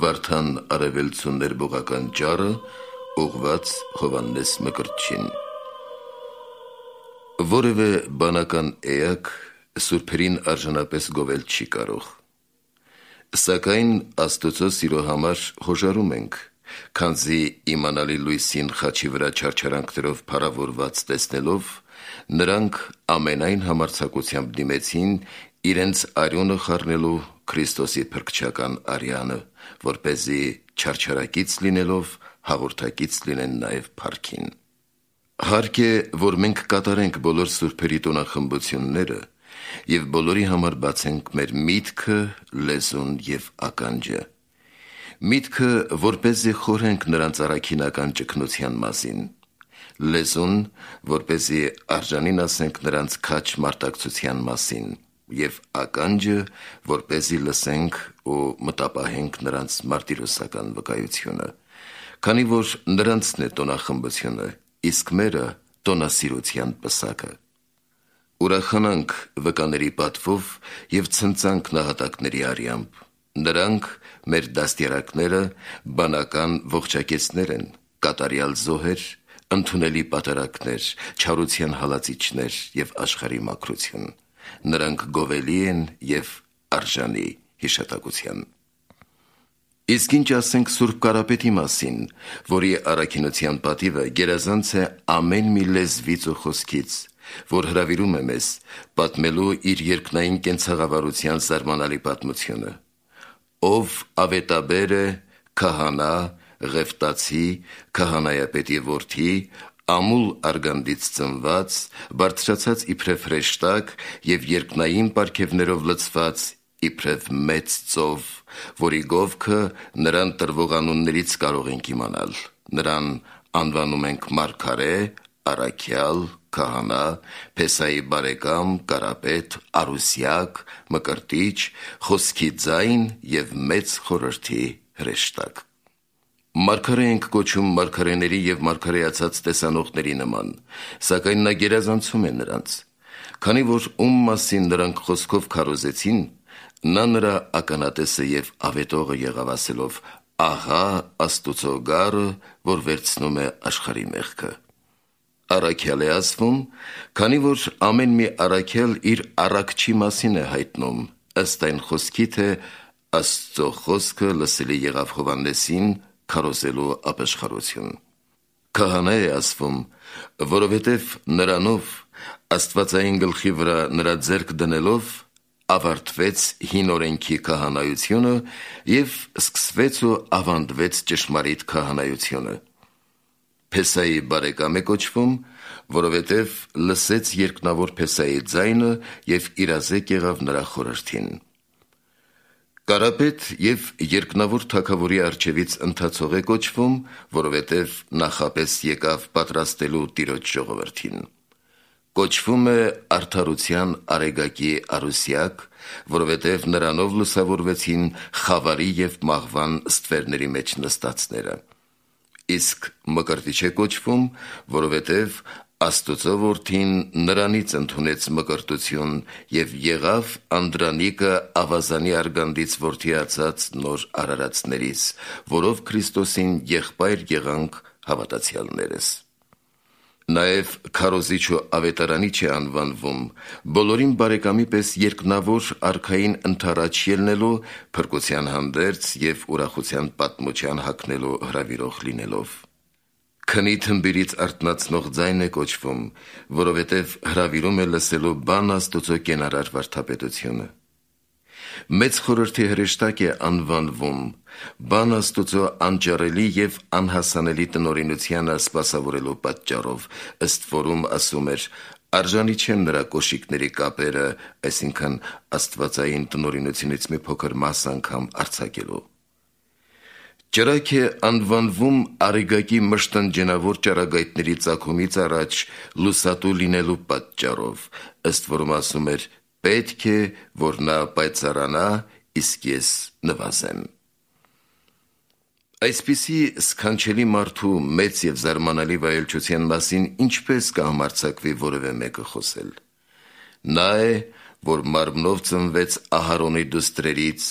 Վարդան արևելցու ներբողական ճառը ուղված Հովհաննես Մկրտչին։ Որևէ բանական էակ սուրբերին արժանապես գովել չի կարող, սակայն Աստծո սիրո համար հոժարում ենք, քանզի իմանալի լույսին խաչի վրա չարչարանքներով փառավորված տեսնելով, նրանք ամենայն համարձակությամբ դիմեցին իրենց արյունը խառնելու Քրիստոսի փրկչական արյանը, որպեսզի չարչարակից լինելով հաղորդակից լինեն նաև փառքին։ Հարկ է, որ մենք կատարենք բոլոր սուրբերի տոնախմբությունները և բոլորի համար բացենք մեր միտքը, լեզուն և ականջը։ Միտքը, որպեսզի խորհենք նրանց առաքինական ճգնության մասին, լեզուն, որպեսզի արժանին ասենք նրանց քաջ մարտակցության մասին, և ականջը, որպեսզի լսենք ու մտապահենք նրանց մարտիրոսական վկայությունը, քանի որ նրանցն է տոնախմբությունը, իսկ մերը տոնասիրության պսակը։ Ուրախանանք վկաների պատվով և ցնծանք նահատակների արյամբ, նրանք մեր դաստիարակները բանական ողջակեცներ են, կատարյալ զոհեր, ընդունելի պատարագներ, չարության հալածիչներ և աշխարհի մաքրություն, նրանք գովելի են և արժանի հիշատակության։ Իսկ ինչ ասենք Սուրբ Կարապետի մասին, որի առաքինության պատիվը գերազանց է ամեն մի լեզվից ու խոսքից, որ հրավիրում է մեզ պատմելու իր երկնային կենցաղավարության զարմանալի պատմությունը, ով ավետաբեր է, քահանա, ղևտացի, քահանայապետի որդի, ամուլ արգանդից ծնված, բարձրացած իբրև հրեշտակ և երկնային պարգևներով լցված իբրև մեծ ծով, որի գովքը նրան տրվող անուններից կարող ենք իմանալ, նրան անվանում ենք մարգարե, առաքյալ, քահանա, Փեսայի բարեկամ, Կարապետ, Արուսյակ, Մկրտիչ, խոսքի ձայն և մեծ խորհրդի հրեշտակ։ Մարգարե ենք կոչում մարգարեների և մարգարեացած տեսանողների նման, սակայն նա գերազանցում է նրանց, քանի որ ում մասին նրանք խոսքով քարոզեցին, նա նրա ականատեսը և ավետողը եղավ ասելով. «Ահա Աստուծո գառը, որ վերցնում է աշխարհի մեղքը»։ Առաքյալ է ասվում, քանի որ ամեն մի առաքյալ իր առաքչի մասին է հայտնում, ըստ այն խոսքի, թե Աստծո խոսքը լսելի եղավ Հովհաննեսին քարոզելու ապաշխարություն։ Քահանա է ասվում, որովհետև նրանով աստվածային գլխի վրա նրա ձեռք դնելով ավարտվեց հին օրենքի քահանայությունը և սկսվեց ու ավանդվեց ճշմարիտ քահանայությունը։ Փեսայի բարեկամ է կոչվում, որովհետև լսեց երկնավոր Փեսայի ձայնը և իրազեկ եղավ նրա խորհրդին։ Կարապետ և երկնավոր թագավորի առջևից ընթացող է կոչվում, որովհետև նախապես եկավ պատրաստելու Տիրոջ ժողովրդին։ Կոչվում է արդարության արեգակի Արուսյակ, որովհետև նրանով լուսավորվեցին խավարի և մահվան ստվերների մեջ նստածները։ Իսկ Մկրտիչ է կոչվում, որովհետև Աստուծո որդին նրանից ընդունեց մկրտություն և եղավ Անդրանիկը ավազանի արգանդից որդիացած նոր արարածներից, որով Քրիստոսին եղբայր եղանք հավատացյալներս։ Նաև քարոզիչ ու ավետարանիչ է անվանվում, բոլորին բարեկամի պես երկնավոր արքային ընդառաջ ելնելու, փրկության հանդերձ և ուրախության պատմության հագնելու հրավիրող լինելով։ Քնի թմբիրից արթնացնող ձայն է կոչվում, որովհետև հրավիրում է լսելու բան Աստուծո կենարար վարդապետությունը։ Մեծ խորհրդի հրեշտակ է անվանվում, բան Աստուծո անճարելի և անհասանելի տնօրինությանը սպասավորելու պատճառով, ըստ որում ասում էր. «Արժանի չեն նրա կոշիկների կապերը», այսինքն աստվածային տնօրինությունից մի փոքր մաս անգամ արձակելու։ Ճրագ է անվանվում արեգակի մշտնջենավոր ճառագայթների ծագումից առաջ լուսատու լինելու պատճառով, ըստ որում ասում էր. «Պետք է, որ նա պայծառանա, իսկ ես նվազեմ»։ Այսպիսի սքանչելի մարդու մեծ և զարմանալի վայելչության մասին ինչպես կհամարձակվի որևէ մեկը խոսել։ Նա է, որ մարմնով ծնվեց Ահարոնի դուստրերից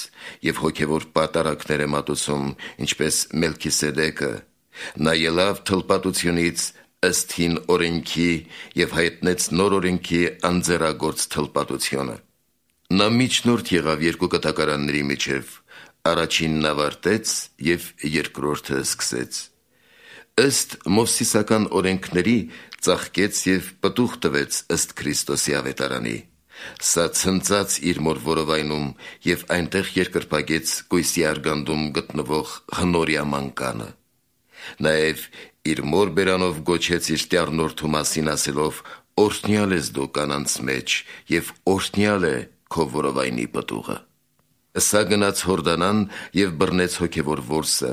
և հոգևոր պատարակներ է մատուցում, ինչպես Մելքիսեդեկը, նա ելավ թլպատությունից ըստ հին օրենքի և հայտնեց նոր օրենքի անձեռագործ թլպատությունը։ Նա միջնորդ եղավ երկու կտակարանների միջև, առաջինն ավարտեց և երկրորդը սկսեց։ Ըստ մովսիսական օրենքների ծաղկեց և պտուղ տվեց ըստ Քրիստոսի ավետարանի։ Սա ցնծաց իր մոր որովայնում և այնտեղ երկրպագեց կույսի արգանդում գտնվող հնորյա մանկանը։ Նաև իր մոր բերանով գոչեց իր տյառնորդու մասին ասելով. «Օրհնյալ ես դու կանանց մեջ և օրհնյալ է քո որովայնի պտուղը»։ Սա գնաց Հորդանան և բռնեց հոգևոր որսը,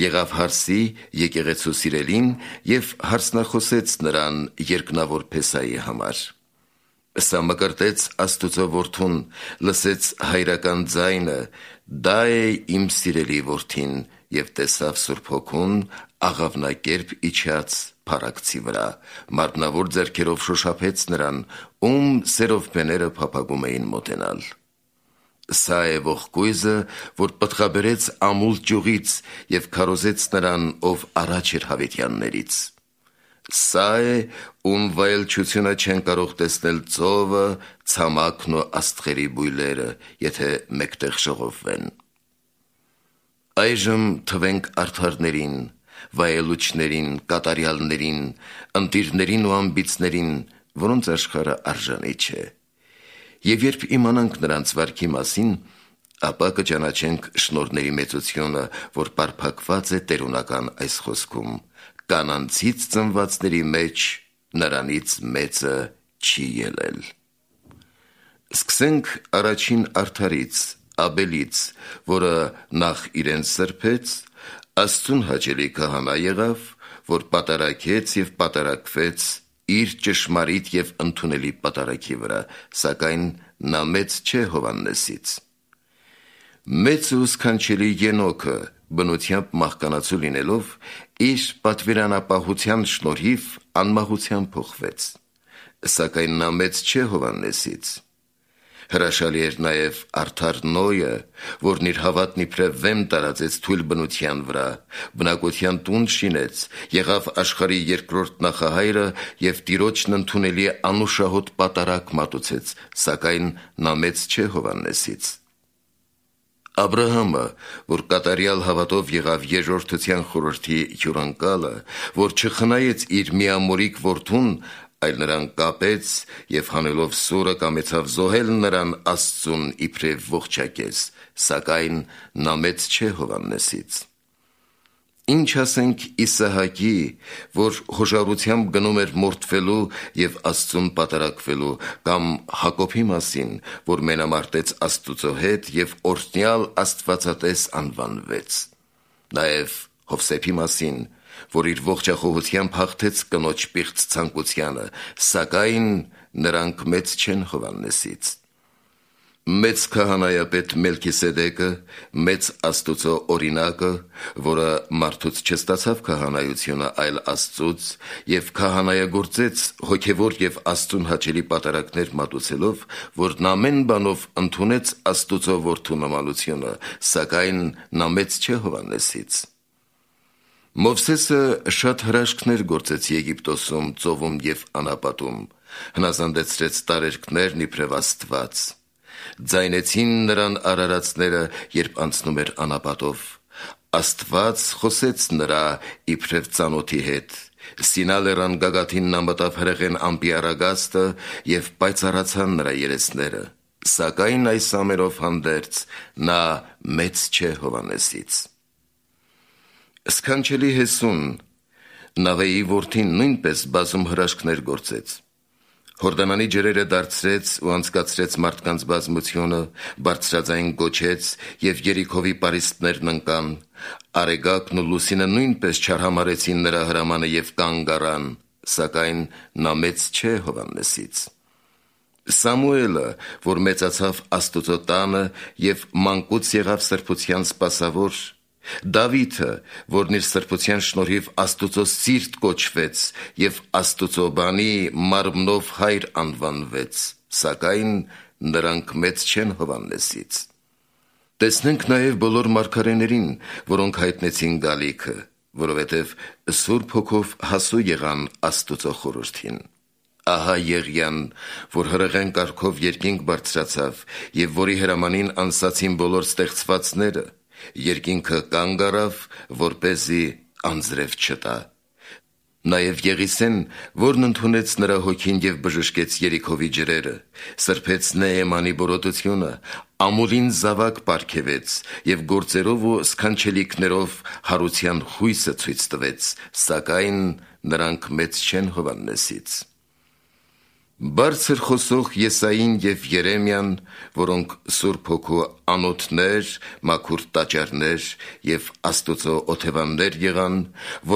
եղավ հարսի եկեղեցու սիրելին և հարսնախոսեց նրան երկնավոր Փեսայի համար։ Սա մկրտեց Աստուծո որդուն, լսեց հայրական ձայնը. «Դա է իմ սիրելի որդին», և տեսավ Սուրբ Հոգուն աղավնակերպ իջած փառակցի վրա, մարմնավոր ձեռքերով շոշափեց նրան, ում սերովբեները փափագում էին մոտենալ։ Սա է ողկույզը, որ պտղաբերեց ամուլ ճյուղից և քարոզեց նրան, ով առաջ էր հավիտյաններից։ Սա է, ում վայելչությունը չեն կարող տեսնել ծովը, ցամաքն ու աստղերի բույլերը, եթե մեկտեղ ժողովվեն։ Այժմ թվենք արդարներին, վայելուչներին, կատարյալներին, ընտիրներին ու ամբիցներին, որոնց աշխարհը արժանի չէ։ Եվ երբ իմանանք նրանց վարքի մասին, ապա կճանաչենք շնորհների մեծությունը, որ պարփակված է տերունական այս խոսքում. «Կանանցից ծնվածների մեջ նրանից մեծը չի ելել»։ Սկսենք առաջին արդարից, Աբելից, որը նախ իրեն սրբեց, Աստծուն հաճելի քահանա եղավ, որ պատարակեց և պատարակվեց իր ճշմարիտ և ընդունելի պատարակի վրա, սակայն նա մեծ չէ Հովհաննեսից։ Մեծ ու սքանչելի Ենոքը բնությամբ մահկանացու լինելով, իր պատվիրանապահության շնորհիվ անմահության փոխվեց, սակայն նա մեծ չէ Հովհաննեսից։ Հրաշալի էր նաև արդար Նոյը, որն իր հավատն իբրև վեմ տարածեց թույլ բնության վրա, բնակության տուն շինեց, եղավ աշխարհի երկրորդ նախահայրը և Տիրոջն ընդունելի անուշահոտ պատարակ մատուցեց, սակայն նա մեծ չէ Հովհաննեսից։ Աբրահամը, որ կատարյալ հավատով եղավ երկրորդության խորհրդի հյուրընկալը, որ չխնայեց իր միամորիկ որդուն, այլ նրան կապեց և հանելով սուրը կամեցավ զոհել նրան Աստծուն իբրև ողջակեզ, սակայն նա մեծ չէ Հովհաննեսից։ Ինչ ասենք Իսահակի, որ հոժարությամբ գնում էր մորթվելու և Աստծուն պատարակվելու, կամ Հակոբի մասին, որ մենամարտեց Աստուծո հետ և օրհնյալ Աստվածատես անվանվեց։ Նաև Հովսեփի մասին, որ իր ողջախոհությամբ հաղթեց կնոջ պիղծ ցանկությանը, սակայն նրանք մեծ չեն Հովհաննեսից։ Մեծ քահանայապետ Մելքիսեդեկը, մեծ Աստուծո օրինակը, որը մարդուց չստացավ քահանայությունը, այլ Աստծուց, և քահանայագործեց հոգևոր և Աստծուն հաճելի պատարակներ մատուցելով, որն ամեն բանով ընդունեց Աստուծո որդու նմանությունը, սակայն նա մեծ չէ Հովհաննեսից։ Մովսեսը շատ հրաշքներ գործեց Եգիպտոսում, ծովում և անապատում, հնազանդեցրեց տարերքներն իբրև Աստված։ Ձայնեցին նրան արարածները, երբ անցնում էր անապատով։ Աստված խոսեց նրա իբրև ծանոթի հետ։ Սինա լեռան գագաթին նա մտավ հրեղեն ամպի առագաստը և պայծառացան նրա երեսները, սակայն այս ամենով հանդերձ նա մեծ չէ Հովհաննեսից։ Սքանչելի Հեսուն, Նավեի որդին, նույնպես բազում հրաշքներ գործեց։ Հորդանանի ջրերը դարձրեց ու անցկացրեց մարդկանց բազմությունը, բարձրաձայն գոչեց և Երիքովի պարիսպներն ընկան, Արեգակն ու Լուսինը նույնպես չարհամարեցին նրա հրամանը և կանգ առան, սակայն նա մեծ չէ Հովհաննեսից։ Սամուելը, որ մեծացավ Աստուծո տանը և մանկուց եղավ սրբության սպասավոր, Դավիթը, որն իր սրբության շնորհիվ Աստուծո սիրտ կոչվեց և Աստուծո բանի մարմնով հայր անվանվեց, սակայն նրանք մեծ չեն Հովհաննեսից։ Տեսնենք նաև բոլոր մարգարեներին, որոնք հայտնեցին գալիքը, որովհետև Սուրբ Հոգով հասու եղան Աստուծո խորհրդին։ Ահա Եղիան, որ հրեղեն կարգով երկինք բարձրացավ և որի հրամանին անսացին բոլոր ստեղծվածները, երկինքը կանգ առավ, որպեսզի անձրև չտա։ Նաև Եղիսեն, որն ընդունեց նրա հոգին և բժշկեց Երիքովի ջրերը, սրբեց Նեեմանի բորոտությունը, ամուրին զավակ պարգևեց և գործերով ու սքանչելիքներով հարության խույսը ցույց տվեց, սակայն նրանք մեծ չեն Հովհաննեսից։ Բարձր խոսող Եսային և Երեմիան, որոնք Սուրբ Հոգու անոթներ, մաքուր տաճարներ և Աստուծո օթևաններ եղան,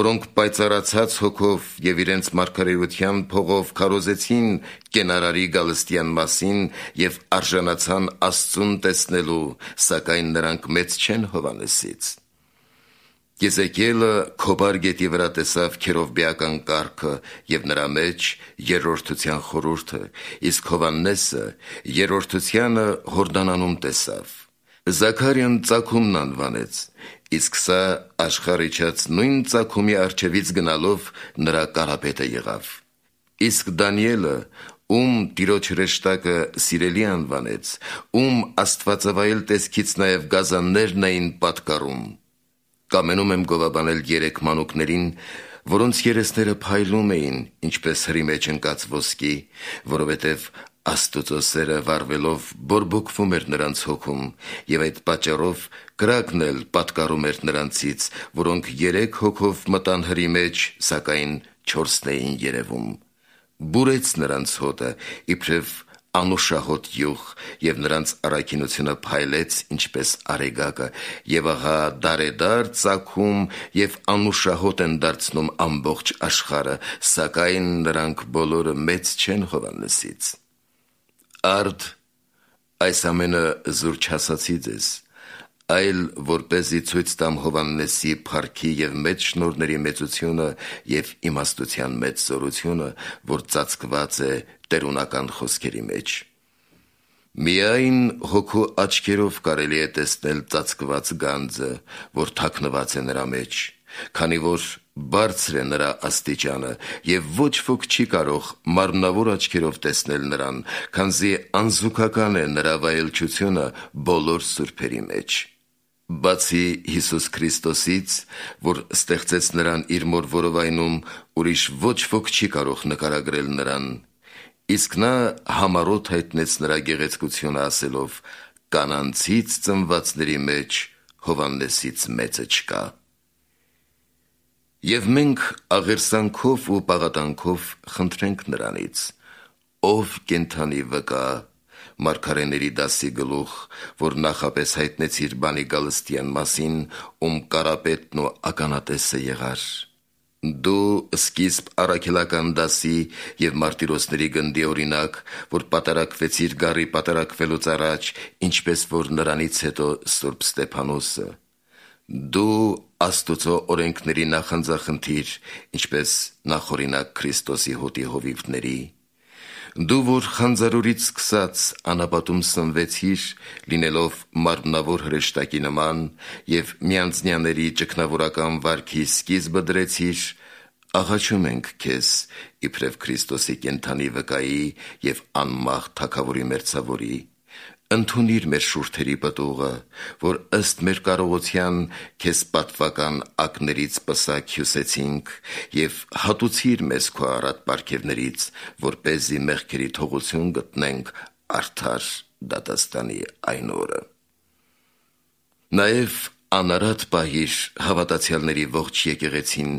որոնք պայծառացած հոգով և իրենց մարգարեության փողով քարոզեցին կենարարի գալստյան մասին և արժանացան Աստծուն տեսնելու, սակայն նրանք մեծ չեն Հովհաննեսից։ Եզեկիելը Քոբար գետի վրա տեսավ քերովբեական կառքը և նրա մեջ երրորդության խորհուրդը, իսկ Հովհաննեսը երրորդությանը Հորդանանում տեսավ։ Զաքարիան ծագումն անվանեց, իսկ սա աշխարհ իջած նույն ծագումի առջևից գնալով նրա կարապետը եղավ։ Իսկ Դանիելը, ում Տիրոջ հրեշտակը սիրելի անվանեց, ում աստվածավայել տեսքից նաև գազաններն էին պատկառում։ Կամենում եմ գովաբանել 3 մանուկներին, որոնց երեսները փայլում էին, ինչպես հրի մեջ ընկած ոսկի, որովհետև Աստուծո սերը վառվելով բորբոքվում էր նրանց հոգում, և այդ պատճառով կրակն էլ պատկառում էր նրանցից, որոնք 3 հոգով մտան հրի մեջ, սակայն 4-ն էին երևում։ Բուրեց նրանց հոտը, իբրև անուշահոտ յուղ, և նրանց առաքինությունը փայլեց, ինչպես արեգակը, և ահա դարեդար ծագում և անուշահոտ են դարձնում ամբողջ աշխարհը, սակայն նրանք բոլորը մեծ չեն Հովհաննեսից։ Արդ այս ամենը զուր չասացի ձեզ, այլ որպեսզի ցույց տամ Հովհաննեսի փառքի և մեծ շնորհների մեծությունը և իմաստության մեծ զորությունը, որ ծածկված է տերունական խոսքերի մեջ։ Միայն հոգու աչքերով կարելի է տեսնել ծածկված գանձը, որ թաքնված է նրա մեջ, քանի որ բարձր է նրա աստիճանը, և ոչ ոք չի կարող մարմնավոր աչքերով տեսնել նրան, քանզի անզուգական է նրա վայելչությունը բոլոր սուրբերի մեջ։ Բացի Հիսուս Քրիստոսից, որ ստեղծեց նրան իր մոր որովայնում, ուրիշ ոչ ոք չի կարող նկարագրել նրան, իսկ նա համառոտ հայտնեց նրա գեղեցկությունը ասելով. «Կանանցից ծնվածների մեջ Հովհաննեսից մեծը չկա»։ Եվ մենք աղերսանքով ու պաղատանքով խնդրենք նրանից. «Ով կենդանի վկա, մարգարեների դասի գլուխ, որ նախապես հայտնեցիր բանի գալստյան մասին, ում կարապետն ու ականատեսը եղար։ Դու սկիզբ առաքելական դասի և մարտիրոսների գնդի օրինակ, որ պատարակվեցիր գառի պատարակվելուց առաջ, ինչպես որ նրանից հետո Սուրբ Ստեփանոսը։ Դու Աստուծո օրենքների նախանձախնդիր, ինչպես նախօրինակ Քրիստոսի հոտի հովիվների։ Դու, որ խանձարուրից սկսած անապատում սնվեցիր, լինելով մարմնավոր հրեշտակի նման, և միանձնյաների ճգնավորական վարքի սկիզբը դրեցիր, աղաչում ենք քեզ, իբրև Քրիստոսի կենդանի վկայի և անմահ Թագավորի մերձավորի, ընդունիր մեր շուրթերի պտուղը, որ ըստ մեր կարողության քեզ պատվական ակներից պսակ հյուսեցինք, և հատուցիր մեզ քո առատ պարգևներից, որպեսզի մեղքերի թողություն գտնենք արդար դատաստանի այն օրը։ Նաև անարատ պահիր հավատացյալների ողջ եկեղեցին,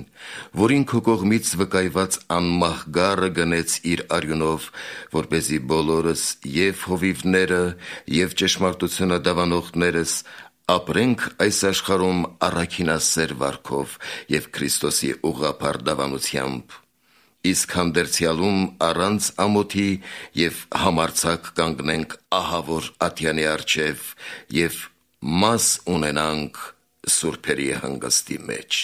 որին քո կողմից վկայված անմահ գառը գնեց իր արյունով, որպեսզի բոլորս և հովիվները, և ճշմարտությունը դավանողներս ապրենք այս աշխարհում առաքինասեր վարքով և Քրիստոսի ուղղափառ դավանությամբ, իսկ հանդերձյալում առանց ամոթի և համարձակ կանգնենք ահավոր ատյանի առջև և մաս ունենանք սուրբերի հանգստի մեջ։